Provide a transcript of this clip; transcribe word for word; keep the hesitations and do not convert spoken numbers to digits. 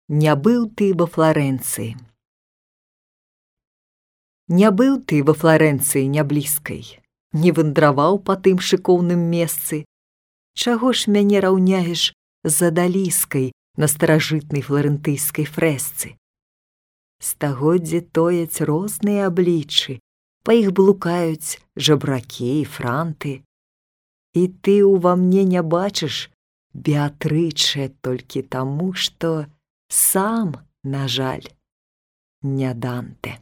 Не быў ты во Флоренцыі. Не быў ты во Флоренцыі няблізкай, не вандраваў па тым шыкоўным месцы. Чаго ж мяне раўняеш з адаліскай на старажытнай фларэнтыйскай фрэсцы? Стагоддзі тояць розныя абліччы, па іх блукаюць жабракі і франты. І ты ўва мне не бачыш Беатрычэ толькі таму, што сам, на жаль, не Данте.